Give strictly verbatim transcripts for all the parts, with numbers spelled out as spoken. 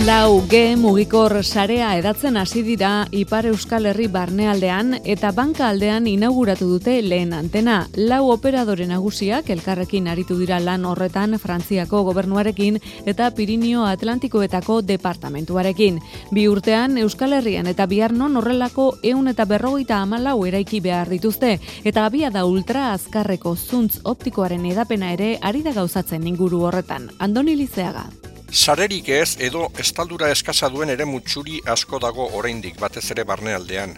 Lau G mugikor sarea edatzen hasi dira Ipar Euskal Herri barnealdean eta banka aldean inauguratu dute lehen antena. Lau operadore nagusiak elkarrekin aritu dira lan horretan Frantziako gobernuarekin eta Pirinio Atlantikoetako departamentuarekin. Bi urtean Euskal Herrian eta Biarnon horrelako ehun eta berrogeita hamalau eraiki behar dituzte eta abiada ultra azkarreko zuntz optikoaren edapena ere ari da gauzatzen inguru horretan. Andoni Lizeaga. Sarerik ez edo estaldura eskasa duen ere mutxuri asko dago oraindik batez ere barnealdean.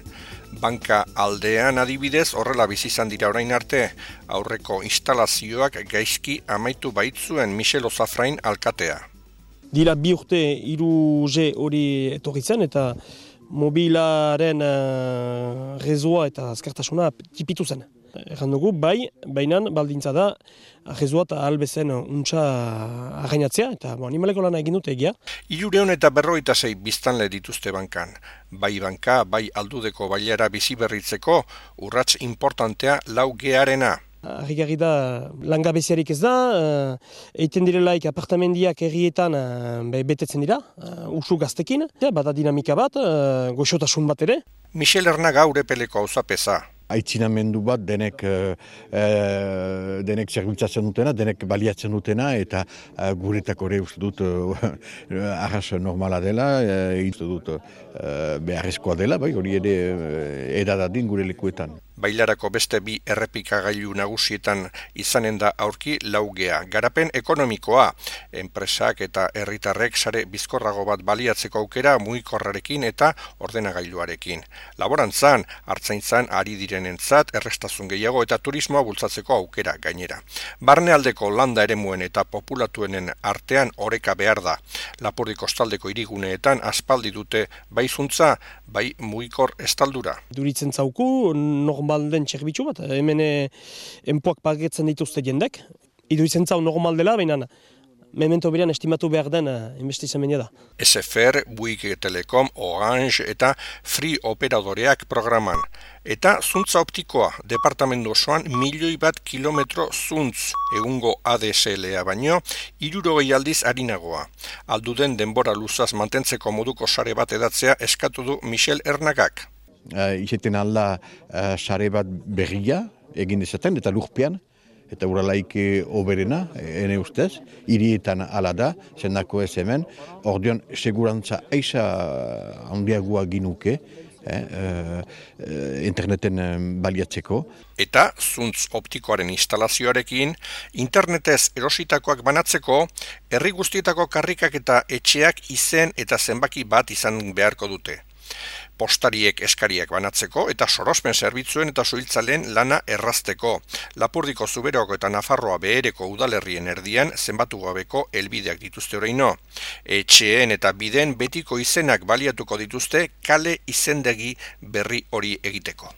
Banka aldean adibidez horrela bizi izan dira orain arte, aurreko instalazioak gaizki amaitu baitzuen Michel Ozafrain alkatea. Dira bi urte hiru G hori etorri zen eta mobilaren uh, rezoa eta azkartasuna tipitu zen. Erran dugu, bai, bainan baldintza da, rezoa eta albezen untxa arrainatzea, eta bo, animaleko lana egin dute egia. Hirureun eta berrogeita sei biztanle dituzte bankan. Bai banka, bai aldudeko bailara bizi berritzeko, urrats importantea lau G-arena. Harrigarri da, langabeziarik ez da, uh, eiten direlaik apartamendiak herrietan uh, betetzen dira, uh, usu gaztekin, ja, bada dinamika bat, uh, goxotasun bat ere. Michel Ernaga urepeleko auzapeza. Aitzinamendu bat denek, e, denek zerbitzatzen dutena, denek baliatzen dutena, eta e, guretak ere uste dut e, arras normala dela, e, uste dut e, beharrezkoa dela, bai, hori ere edadadin gure lekuetan. Bailarako beste bi errepikagailu nagusietan izanen da aurki laugea. Garapen ekonomikoa, enpresak eta herritarrek sare bizkorrago bat baliatzeko aukera mugikorrarekin eta ordenagailuarekin. Laborantzan, hartzaintzan ari direnentzat errestazun gehiago eta turismoa bultzatzeko aukera gainera. Barnealdeko landa eremuen eta populatuenen artean oreka behar da. Lapurdi kostaldeko hiriguneetan aspaldi dute bai zuntza, bai mugikor estaldura. Duritzen zauku, normal den txerbitzu bat, hemen enpoak pagetzen dituzte jendek. Iduritzen zau normal dela, baina memento berean estimatu behar den investizamenia da. S F R, Bouygues Telecom, Orange eta Free operadoreak programan. Eta zuntza optikoa, departamendu osoan milioi bat kilometro zuntz, egungo A D S L-a baino, hirurogei aldiz harinagoa. Alduden denbora luzaz mantentzeko moduko sare bat edatzea eskatu du Michel Ernagak. Uh, Izeten alda uh, sare bat berria egin dezaten eta lurpean, eta uralaik oberena, ene ustez, hirietan ala da, zendako ez hemen, ordeon segurantza eixa handiagoa ginuke, eh, uh, interneten baliatzeko. Eta zuntz optikoaren instalazioarekin, internetez erositakoak banatzeko, herri guztietako karrikak eta etxeak izen eta zenbaki bat izan beharko dute. Postariek eskariak banatzeko eta sorospen zerbitzuen eta suhiltzaleen lana errazteko. Lapurdiko, Zuberoko eta Nafarroa behereko udalerrien erdian zenbatu gabeko helbideak dituzte oraino. Etxeen eta bideen betiko izenak baliatuko dituzte kale izendegi berri hori egiteko.